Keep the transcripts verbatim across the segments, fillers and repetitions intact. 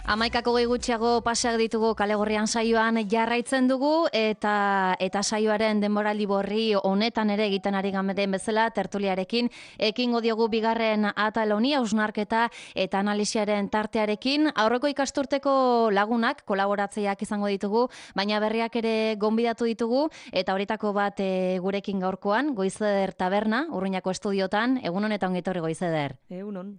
Hamaikako gehi gutxiago paseak ditugu Kalegorrian saioan jarraitzen dugu eta eta saioaren denboraldi borri honetan ere egiten ari den bezala tertuliarekin ekingo diogu bigarren atal honi hausnarketa eta analisiaren tartearekin. Aurreko ikasturteko lagunak kolaboratzaileak izango ditugu, baina berriak ere gonbidatu ditugu eta horitako bat e, gurekin gaurkoan Goizeder Taberna, Urruñako estudiotan. Egunon eta ongi etorri Goizeder. Egunon.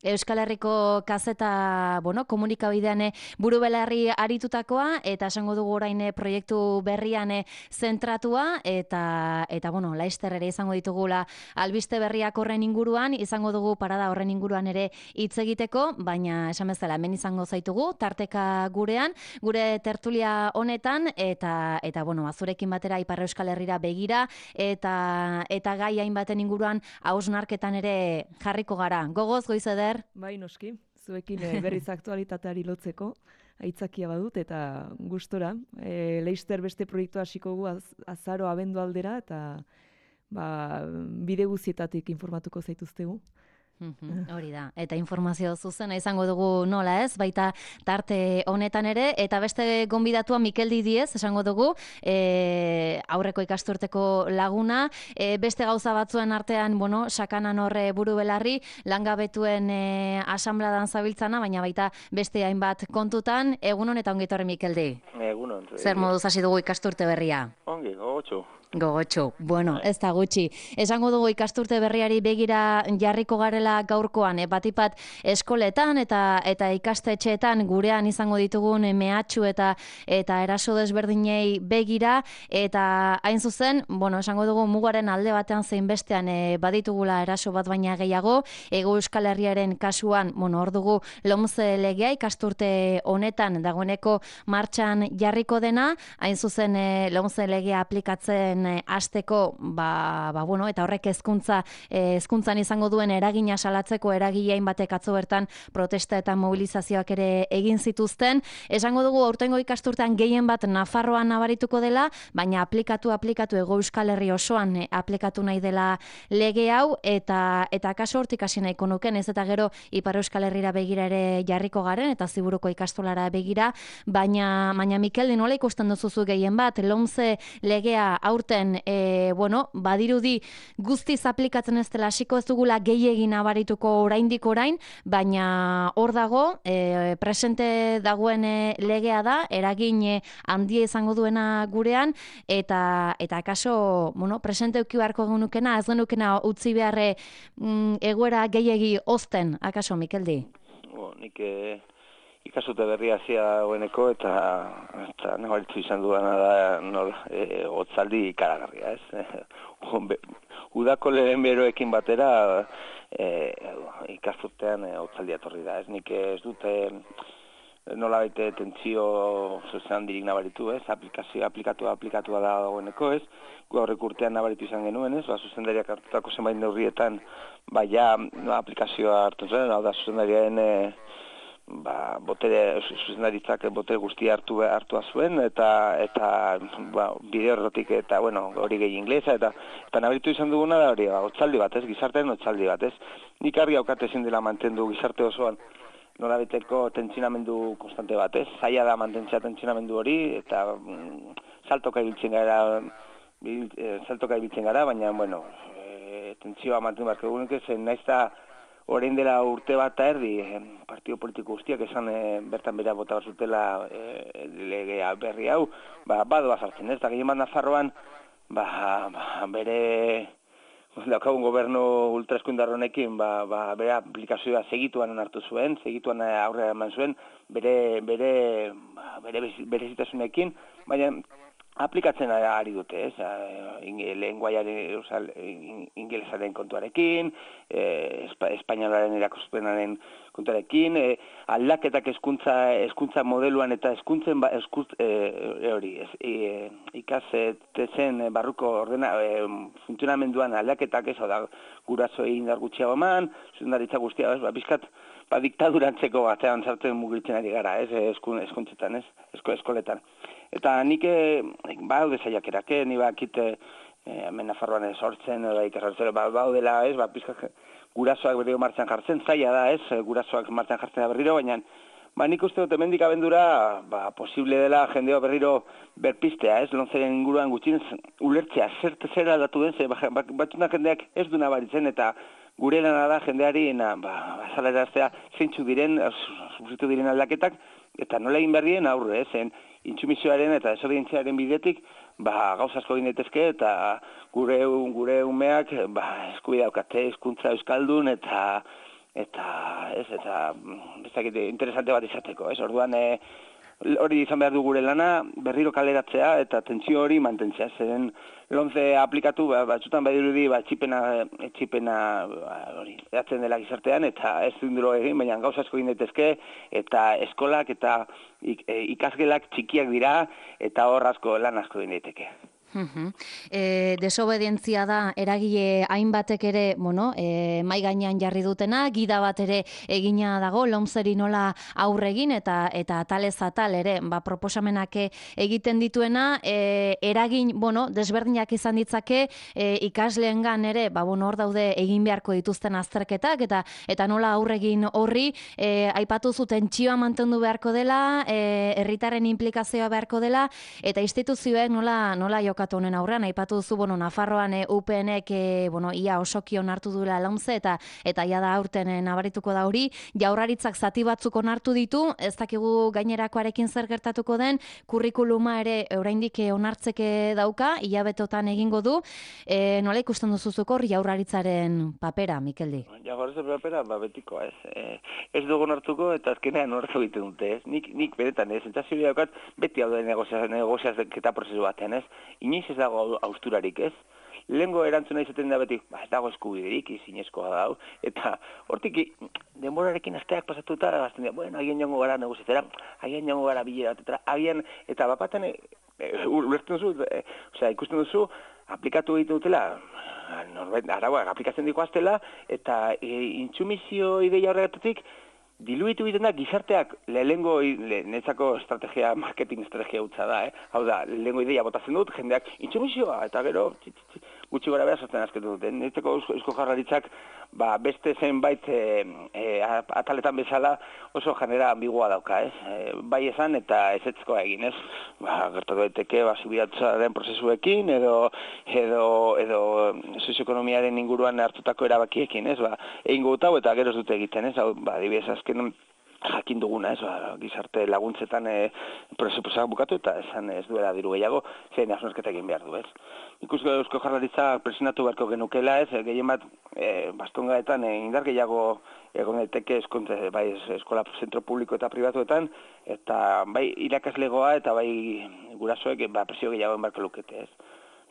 Euskal Herriko kazeta, bueno, komunikabidean buru belarri aritutakoa eta esango dugu orain proiektu berrian zentratua eta eta bueno, Laister ere izango ditugula albiste berriak horren inguruan, izango dugu parada horren inguruan ere hitz egiteko, baina esan bezala hemen izango zaitugu tarteka gurean, gure tertulia honetan eta eta bueno, azurekin batera Ipar Euskal Herrira begira eta eta gai hainbaten inguruan hausnarketan ere jarriko gara. Gogoz Goizeder. Bai, noski, zuekin e, berriz aktualitateari lotzeko, aitzakia badut eta gustora. E, Leister beste proiektu hasiko gu az, azaro abendu aldera eta ba, bide guzietatik informatuko zaituztegu. Hori da, eta informazio zuzena izango dugu nola ez, baita tarte honetan ere, eta beste gonbidatua Mikel Didiez, esango dugu, e, aurreko ikasturteko laguna, e, beste gauza batzuen artean, bueno, sakanan horre buru belarri, langabetuen e, asambladan zabiltzana, baina baita beste hainbat kontutan, egunon eta ongi etorri Mikel Di. Egunon. Zer moduz hasi dugu ikasturte berria? Ongi, gogotxo. Gogotxo, bueno, ez da gutxi. Esango dugu ikasturte berriari begira jarriko garela gaurkoan, e, batipat eskoletan eta eta ikastetxeetan gurean izango ditugun mehatxu eta eta eraso desberdinei begira, eta hain zuzen, bueno, esango dugu mugaren alde batean zein bestean e, baditugula eraso bat baina gehiago, Hego Euskal Herriaren kasuan, bueno, hor dugu LOMCE legea ikasturte honetan dagoeneko martxan jarriko dena, hain zuzen e, LOMCE legea aplikatzen hasteko, ba, ba, bueno, eta horrek hezkuntza hezkuntzan izango duen eragina salatzeko eragilein batek atzo bertan protesta eta mobilizazioak ere egin zituzten. Esango dugu aurtengo ikasturtean gehien bat Nafarroan nabarituko dela, baina aplikatu aplikatu Hego Euskal Herri osoan eh, aplikatu nahi dela lege hau eta eta kaso hortik hasi nahiko nuken, ez eta gero Ipar Euskal Herrira begira ere jarriko garen eta Ziburuko ikastolara begira, baina baina Mikel, nola ikusten duzuzu gehien bat LOMCE legea aurten E, bueno, badirudi guztiz aplikatzen ez dela hasiko ez dugula gehiegin nabarituko oraindik orain, baina hor dago e, presente dagoen e, legea da, eragin e, handia izango duena gurean eta eta kaso, bueno, presente eduki beharko genukena, ez genukena utzi beharre mm, egoera gehiegi ozten, akaso Mikeldi? Bo, nik e... ikasute berria hasia dagoeneko eta eta nabaritu izan duana da nola e, hotzaldi ikaragarria, ez? Udako lehen beroekin batera e, ikasturtean e, hotzaldia etorri da, ez? Nik ez dute nola baite tentsio zean dirik nabaritu, ez? Aplikazio aplikatu aplikatua da dagoeneko, ez? Gu aurrek urtean nabaritu izan genuen, ez? Ba, zuzendariak hartutako zenbait neurrietan ba ja no, aplikazioa hartu zen, hau da zuzendariaren e, ba, botere, zuzendaritzak botere guztia hartu hartua zuen eta eta ba, bide horretik eta bueno, hori gehi inglesa eta eta nabaritu izan duguna da hori, ba, hotzaldi bat, ez, gizartean hotzaldi bat, ez. Nik argi haukate ezin dela mantendu gizarte osoan nolabiteko tentsionamendu konstante bat, ez. Zaila da mantentzea tentsionamendu hori eta mm, saltoka ibiltzen gara, bil, e, saltoka ibiltzen gara, baina bueno, e, tentsioa mantendu beharko dugunik, zen naiz da orain dela urte bat eta erdi, eh, partido politiko guztiak esan eh, bertan bera bota zutela eh, legea berri hau, ba, badoa sartzen, ez? Da gehien bat Nafarroan, ba, ba, bere daukagun gobernu ultraeskuindar honekin, ba, ba, bere aplikazioa segituan hartu zuen, segituan aurrera eman zuen, bere bere ba, bere berezitasunekin, baina aplikatzen ari dute, ez? Lenguaiaren, ingelesaren kontuarekin, eh, espainolaren erakuspenaren kontuarekin, eh, aldaketak hezkuntza hezkuntza modeluan eta hezkuntzen ba, eskuz, eh, hori, ez, eh, ikastetzen barruko ordena eh, funtzionamenduan aldaketak ez, da gurasoei indar gutxiago eman, zuzendaritza guztia, ez, ba, bizkat, ba, diktadurantzeko batean sartzen mugitzen ari gara, ez, hezkuntzetan, ez, esko eskoletan. Eta nik baude saiakerak, ni bakite hemen Nafarroan sortzen edo ikasartzen baudela, ez, ba pizka gurasoak berriro martxan jartzen, zaila da, ez, gurasoak martxan jartzen da berriro, baina Ba, nik uste dut hemendik abendura, ba, posible dela jendeo berriro berpistea, ez? Lontzeren inguruan gutxinez ulertzea, zer zer aldatu den, ze batzunak jendeak ez du nabaritzen, eta gure lana da jendeari, na, ba, azaleraztea, zeintzu diren, sufritu diren aldaketak, eta nola egin behar dien aurre, zen intsumisioaren eta desobedientziaren bidetik, ba, gauza asko egin daitezke, eta gure, gure umeak, ba, eskubidea daukate, hizkuntza euskaldun, eta eta ez, eta bestakit interesante bat izateko, ez? Orduan, e, hori izan behar du gure lana, berriro kaleratzea eta tentsio hori mantentzea. Zeren lonze aplikatu, ba, batzutan badirudi, ba, txipena, txipena ba, hori, edatzen dela gizartean, eta ez dunduro egin, baina gauza asko egin daitezke, eta eskolak eta ik, e, ikasgelak txikiak dira, eta hor asko lan asko egin daiteke. Uh-huh. E, desobedientzia da eragile hainbatek ere, bueno, e, mai gainean jarri dutena, gida bat ere egina dago, lomzeri nola aurregin eta eta atalez atal ere, ba, proposamenak egiten dituena, e, eragin, bueno, desberdinak izan ditzake, e, ikasleengan ere, ba, bueno, hor daude egin beharko dituzten azterketak, eta eta nola aurregin horri, e, aipatu zuten txioa mantendu beharko dela, e, herritarren implikazioa beharko dela, eta instituzioek nola, nola jok honen aurrean, aipatu duzu, bueno, Nafarroan e, U P N-ek e, bueno, ia osoki onartu duela launze eta eta ia da aurten e, nabarituko da hori, jaurlaritzak zati batzuk onartu ditu, ez dakigu gainerakoarekin zer gertatuko den, kurrikuluma ere oraindik e, onartzeke dauka, hilabetotan egingo du, e, nola ikusten duzuzuk hor jaurlaritzaren papera, Mikeldi? Jaurlaritzaren papera, ba, betiko, ez. E, ez dugu onartuko eta azkenean onartu egiten dute, ez. Nik, nik beretan, ez, sentsazio daukat, beti hau da negoziazketa prozesu batean, ez. Inoiz ez dago hausturarik, ez? Lehengo erantzuna izaten da beti, ba, ez dago eskubiderik, izinezkoa da, eta hortik denborarekin asteak pasatuta, azten dira, bueno, agian joango gara negoziatera, agian joango gara bilera bat, agian, eta bapaten, e, e, ulertzen duzu, e, osea, ikusten duzu, aplikatu egiten dutela, norbait, arauak aplikatzen diko aztela, eta e, intsumizio ideia horregatik, diluitu egiten da gizarteak lehengo netzako estrategia, marketing estrategia hutsa da, eh? Hau da, lehengo ideia botatzen dut, jendeak intsumisioa, eta gero gutxi gora behar sortzen azketu duten. Netzako eusko jarraritzak ba, beste zenbait e, e, ataletan bezala oso janera ambigua dauka, ez? E, bai esan eta ezetzkoa egin, ez? Ba, gertatu daiteke, ba, zubidatzaren prozesuekin, edo, edo, edo sozioekonomiaren inguruan hartutako erabakiekin, ez? Ba, egingo dut hau eta gero ez dute egiten, ez? Hau, ba, adibidez, azken jakin duguna, ez, ba, gizarte laguntzetan e, presupuestoak bukatu eta esan ez duela diru gehiago, zein hausnarketa egin behar du, ez. Ikusko eusko jarlaritza presionatu beharko genukela, ez, gehien bat e, bastongaetan e, indar gehiago egon daiteke eskontze, bai eskola zentro publiko eta pribatuetan, eta bai irakaslegoa eta bai gurasoek ba, presio gehiago enbarko lukete, ez.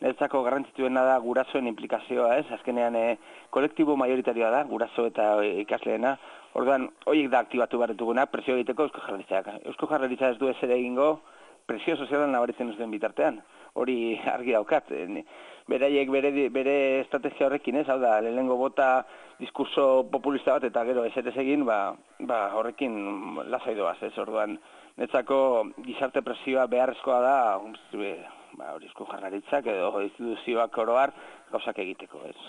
Neretzako garrantzituena da gurasoen implikazioa, ez? Azkenean e, kolektibo majoritarioa da, guraso eta ikasleena. Orduan, horiek da aktibatu behar duguna, presio egiteko eusko jarlaritzak. Eusko jarlaritza ez du ez ere egingo, presio sozialan nabaritzen ez duen bitartean. Hori argi daukat. Beraiek bere, bere estrategia horrekin, ez? Hau da, lehenengo bota diskurso populista bat eta gero ezetez egin, ba, ba horrekin lasai doaz, ez? Orduan, netzako gizarte presioa beharrezkoa da, ba, hori eusko jarlaritzak edo instituzioak oroar gauzak egiteko, ez?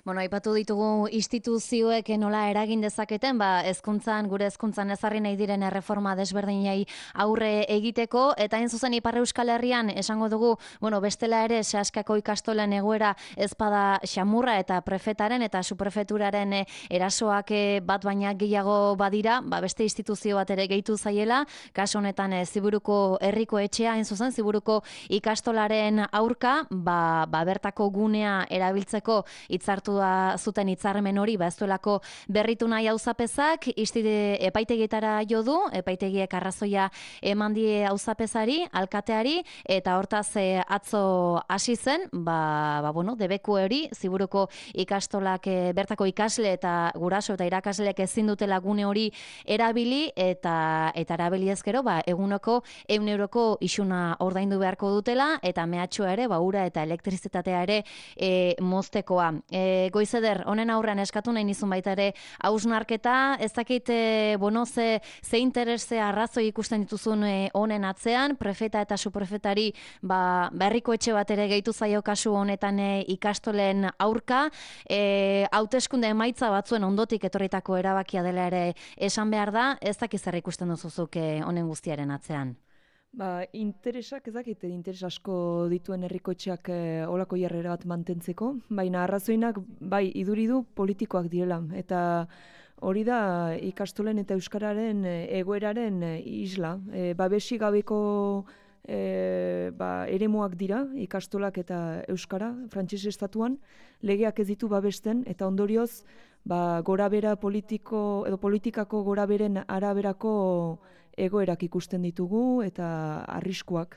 Bueno, aipatu ditugu instituzioek nola eragin dezaketen, ba, hezkuntzan, gure hezkuntzan ezarri nahi diren erreforma desberdinei aurre egiteko, eta hain zuzen Ipar Euskal Herrian esango dugu, bueno, bestela ere sehaskako ikastolen egoera ezpada xamurra eta prefetaren eta suprefeturaren erasoak bat baina gehiago badira, ba, beste instituzio bat ere gehitu zaiela, kasu honetan Ziburuko herriko etxea, hain zuzen, Ziburuko ikastolaren aurka, ba, ba bertako gunea erabiltzeko hitzartua zuten hitzarmen hori, ba ez duelako berritu nahi auzapezak, istide epaitegietara jo du, epaitegiek arrazoia eman die auzapezari, alkateari, eta hortaz e, atzo hasi zen, ba, ba bueno, debeku hori, Ziburuko ikastolak e, bertako ikasle eta guraso eta irakasleek ezin dutela gune hori erabili, eta eta erabili ezkero, ba, eguneko ehun euroko isuna ordaindu beharko dutela, eta mehatxua ere, ba, ura eta elektrizitatea ere e, moztekoa. E, E, Goizeder, honen aurrean eskatu nahi nizun baita ere hausnarketa, ez dakit, e, bueno, ze, ze interese arrazoi ikusten dituzun e, honen atzean, prefeta eta suprefetari ba, berriko etxe bat ere gehitu zaio kasu honetan e, ikastolen aurka, e, hauteskunde emaitza batzuen ondotik etorritako erabakia dela ere esan behar da, ez dakit zer ikusten duzuzuk e, honen guztiaren atzean. Ba, interesak, ez dakit, interes asko dituen herrikoetxeak e, olako jarrera bat mantentzeko, baina arrazoinak, bai, iduri du politikoak direla, eta hori da ikastolen eta euskararen e, egoeraren e, isla. E, babesi gabeko e, ba, eremuak dira, ikastolak eta euskara, frantses estatuan, legeak ez ditu babesten, eta ondorioz, ba, gorabera politiko, edo politikako goraberen araberako egoerak ikusten ditugu eta arriskuak.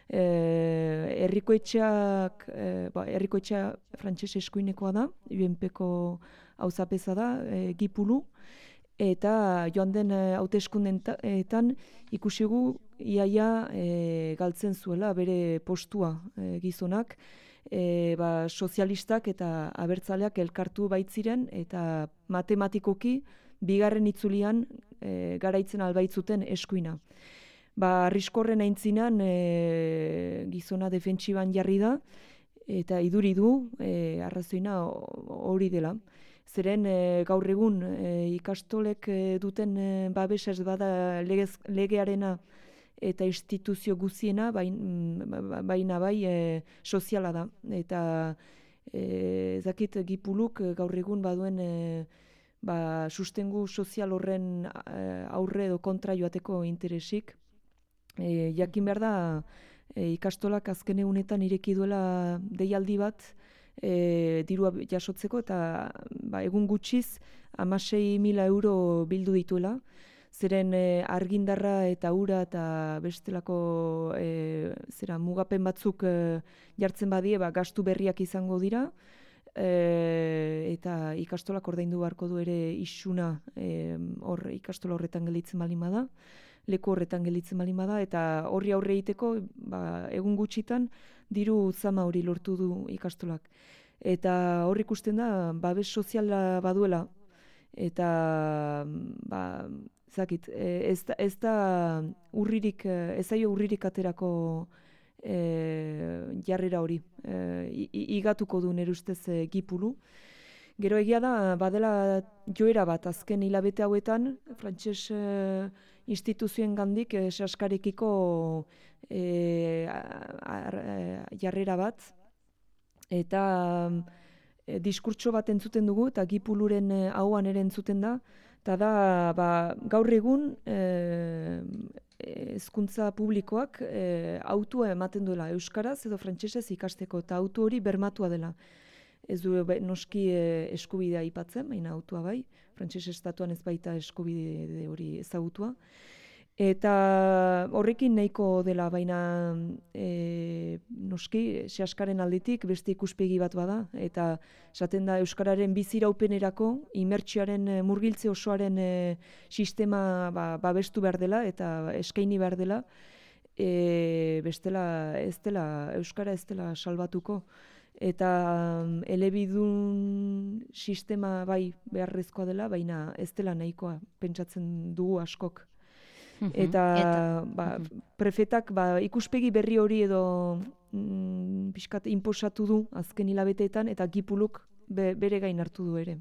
Eh, herrikoetxeak, eh, ba, herrikoetxea frantses eskuinekoa da, U N Pko auzapeza da, eh, Gipulu, eta joan den hauteskundeetan ikusigu iaia eh, galtzen zuela bere postua eh, gizonak, e, ba, sozialistak eta abertzaleak elkartu baitziren eta matematikoki bigarren itzulian e, garaitzen albaitzuten eskuina. Ba, arriskorren aintzinan e, gizona defentsiban jarri da eta iduri du e, arrazoina hori dela. Zeren e, gaur egun e, ikastolek e, duten e, babesa ez bada legez, legearena eta instituzio guziena, baina, baina bai e, soziala da. Eta e, zakit Gipuluk gaur egun baduen e, ba, sustengu sozial horren aurre edo kontra joateko interesik. E, jakin behar da e, ikastolak azken egunetan ireki duela deialdi bat e, dirua jasotzeko eta ba, egun gutxiz hamasei mila euro bildu dituela. Zeren e, argindarra eta ura eta bestelako e, zera, mugapen batzuk e, jartzen badie, ba, gastu berriak izango dira. E, eta ikastolak ordaindu beharko du ere isuna e, hor ikastola horretan gelditzen baldin bada, leku horretan gelditzen baldin bada, eta horri aurre egiteko ba, egun gutxitan diru zama hori lortu du ikastolak. Eta hor ikusten da babes soziala baduela eta ba, zakit, ez da, ez da urririk, ez zaio urririk aterako E, jarrera hori, e, igatuko du nire ustez e, Gipulu. Gero egia da, badela joera bat azken hilabete hauetan, frantses e, instituzioen gandik e, saskarekiko e, jarrera bat, eta e, diskurtso bat entzuten dugu, eta Gipuluren e, hauan ere entzuten da, eta da, ba, gaur egun, e, hezkuntza publikoak e, autua ematen duela euskaraz edo frantsesez ikasteko eta autu hori bermatua dela. Ez du noski e, eskubidea aipatzen, baina autua bai, frantses estatuan ez baita eskubide hori ezagutua. Eta horrekin nahiko dela, baina e, noski sehaskaren aldetik beste ikuspegi bat bada, eta esaten da euskararen biziraupenerako imertsioaren murgiltze osoaren e, sistema ba, babestu behar dela eta eskaini behar dela, e, bestela ez dela, euskara ez dela salbatuko. Eta elebidun sistema bai beharrezkoa dela, baina ez dela nahikoa pentsatzen dugu askok. Eta, eta ba, prefetak ba, ikuspegi berri hori edo mm, pixkat inposatu du azken hilabeteetan eta Gipuluk be, bere gain hartu du ere.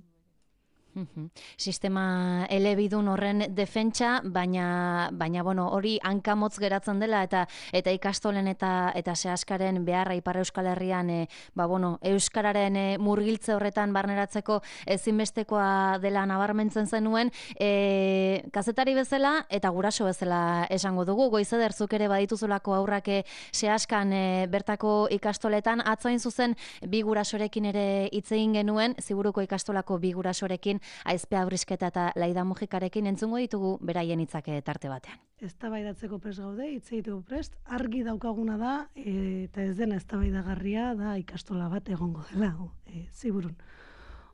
Sistema elebidun horren defentsa, baina, baina bueno, hori hankamotz geratzen dela eta eta ikastolen eta eta sehaskaren beharra Ipar Euskal Herrian e, ba, bueno, euskararen e, murgiltze horretan barneratzeko ezinbestekoa dela nabarmentzen zenuen, e, kazetari bezala eta guraso bezala esango dugu. Goizeder, zuk ere badituzulako aurrak e, sehaskan e, bertako ikastoletan, atzain zuzen bi gurasorekin ere hitz egin genuen, Ziburuko ikastolako bi gurasorekin, Aizpe Abrisketa eta Laida Mujikarekin entzungo ditugu beraien hitzak tarte batean. Eztabaidatzeko prest gaude, hitz egiteko prest, argi daukaguna da e, eta ez dena eztabaidagarria da ikastola bat egongo dela, e, Ziburun.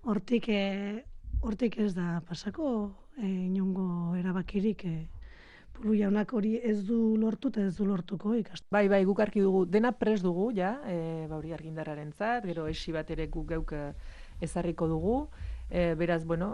Hortik e, hortik ez da pasako e, inongo erabakirik e, Pulu jaunak hori ez du lortu eta ez du lortuko ikastola. Bai, bai, guk arki dugu, dena prest dugu, ja, e, ba hori argindarrarentzat, gero esi bat ere guk geuk ezarriko dugu. E, beraz, bueno,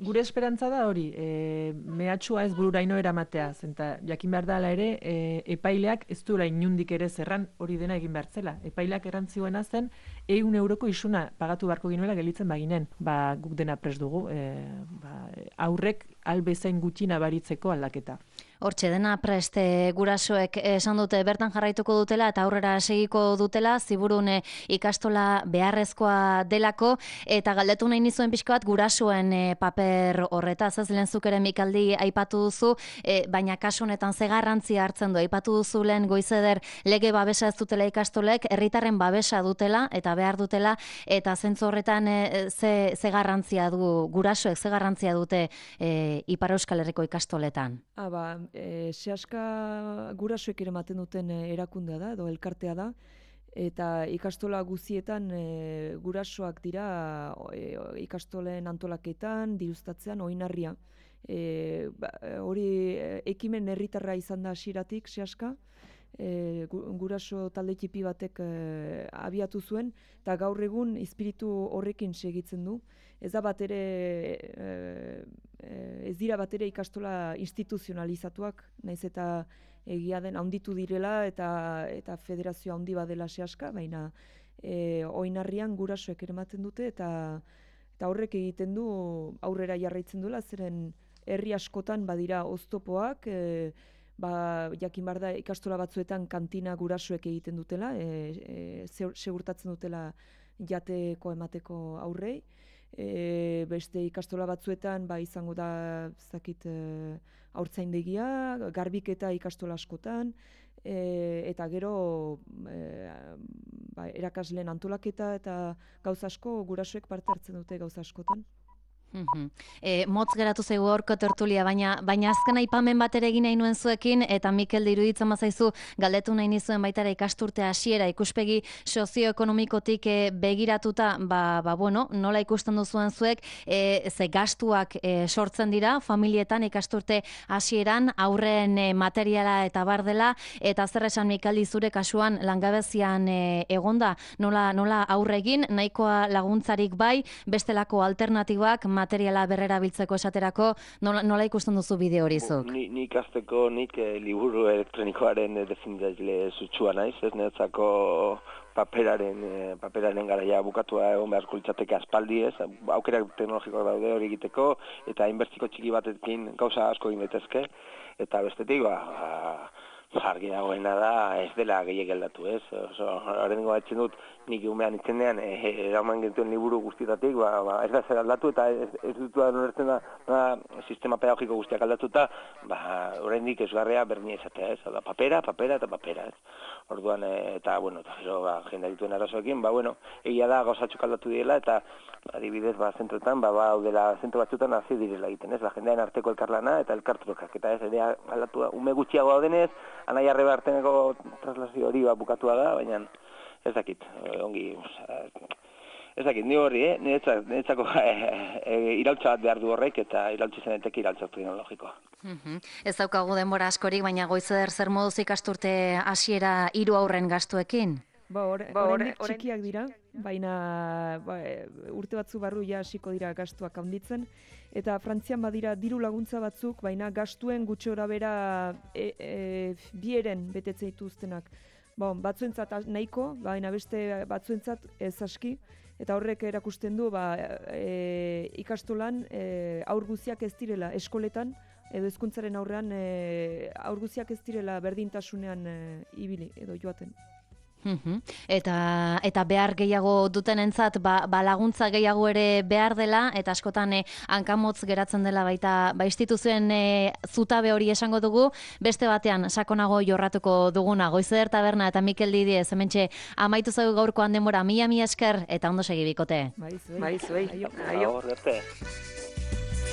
gure esperantza da hori, e, mehatxua ez bururaino eramatea, zenta jakin behar dela ere, e, epaileak ez duela inundik ere zerran hori dena egin behar zela. Epaileak erantzioena zen, ehun euroko isuna pagatu beharko ginuela gelitzen baginen, ba, guk dena prest dugu, e, ba, aurrek albezain gutxi nabaritzeko aldaketa. Hortxe dena prest gurasoek esan dute bertan jarraituko dutela eta aurrera segiko dutela, ziburun ikastola beharrezkoa delako, eta galdetu nahi nizuen pixka bat gurasoen paper horretaz, ez lehen zuk ere Mikaldi aipatu duzu, e, baina kasu honetan ze garrantzia hartzen du, aipatu duzu lehen Goizeder lege babesa ez dutela ikastolek, herritarren babesa dutela eta behar dutela, eta zentzu horretan e, ze, ze garrantzia du gurasoek, ze garrantzia dute e, Ipar Euskal Herriko ikastoletan? Ah, ba, E, sehaska gurasoek ere ematen duten erakundea da, edo elkartea da, eta ikastola guzietan e, gurasoak dira e, ikastolen antolaketan, diruztatzean, oinarria. E, ba, hori ekimen herritarra izan da hasieratik sehaska, e, guraso talde txipi batek e, abiatu zuen, eta gaur egun espiritu horrekin segitzen du. Ez da bat ere, e, ez dira bat ere ikastola instituzionalizatuak, naiz eta egia den handitu direla eta eta federazio handi badela sehaska, baina e, oinarrian gurasoek ere ematen dute eta eta horrek egiten du aurrera jarraitzen duela, zeren herri askotan badira oztopoak, e, ba, jakin behar da ikastola batzuetan kantina gurasoek egiten dutela, e, e, segurtatzen dutela jateko emateko aurrei. E, beste ikastola batzuetan ba izango da zakit e, haurtzaindegia, garbiketa ikastola askotan, e, eta gero e, ba, erakasleen antolaketa eta gauza asko gurasoek parte hartzen dute gauza askotan. Mm-hmm. E, motz geratu zaigu horko tertulia, baina baina azken aipamen bat ere egin nahi nuen zuekin, eta Mikel iruditzen bazaizu galdetu nahi nizuen baitara ikasturte hasiera ikuspegi sozioekonomikotik e, begiratuta, ba, ba bueno, nola ikusten duzuen zuek, e, ze gastuak e, sortzen dira familietan ikasturte hasieran, aurren e, materiala eta bar dela, eta zer esan Mikaldi zure kasuan langabezian e, egonda, nola, nola aurregin, nahikoa laguntzarik bai, bestelako alternatibak materiala berrera biltzeko esaterako, nola, nola ikusten duzu bideo hori zuk? Ni, ni ikasteko nik eh, liburu elektronikoaren eh, definitzaile zutsua naiz, ez netzako paperaren, eh, paperaren garaia bukatua egon beharko litzateke aspaldi, ez, aukerak teknologikoak daude hori egiteko, eta inbertsiko txiki batekin gauza asko egin daitezke, eta bestetik, ba, argi dagoena da ez dela gehiek aldatu, ez? Oso, horrengo batzen dut, nik umean itzenean, eraman e, gentuen liburu guztietatik, ba, ba, ez da zer aldatu, eta ez, ez dut da norertzen da, da sistema pedagogiko guztiak aldatuta, ba, horrendik esgarrea berdina izatea, ez? Da, papera, papera eta papera, ez? Orduan, e, eta, bueno, eta gero, ba, jendea dituen arazoekin, ba, bueno, egia da gauzatxuk aldatu direla, eta adibidez, ba, zentroetan, ba, ba, daudela, zentro batzuetan hazi direla egiten, ez? Ba, jendean arteko elkarlana eta elkartrokak, eta ez, ere aldatu da, ume gutxiago daudenez, anai arreba arteneko traslazio hori ba, bukatua da, baina ez dakit, ongi, ez dakit, ni horri, eh? Niretzako e, e, iraultza bat behar du horrek, eta iraultza zenetek iraultza teknologikoa. Mm-hmm. Ez daukagu denbora askorik, baina Goizeder zer moduz ikasturte hasiera hiru aurren gastuekin? Ba, oraindik ba, txikiak dira, baina ba, urte batzu barru ja hasiko dira gastuak handitzen, eta Frantzian badira diru laguntza batzuk, baina gastuen gutxi gorabehera e, e, bieren betetzen dituztenak. Bon, batzuentzat nahiko, baina beste batzuentzat ez aski, eta horrek erakusten du ba, e, ikastolan e, aur guztiak ez direla eskoletan, edo hezkuntzaren aurrean e, aur guztiak ez direla berdintasunean e, ibili edo joaten. Mm-hmm. Eta, eta behar gehiago dutenentzat ba, ba laguntza gehiago ere behar dela, eta askotan eh, hankamotz geratzen dela baita ba instituzioen eh, zutabe hori esango dugu, beste batean sakonago jorratuko duguna. Goizeder Taberna eta Mikel Didiez hementxe amaitu zaigu gaurkoan denbora, mila mila esker eta ondo segi bikote. Bai, zuei. Bai, zuei. Aio. Aio. Aio.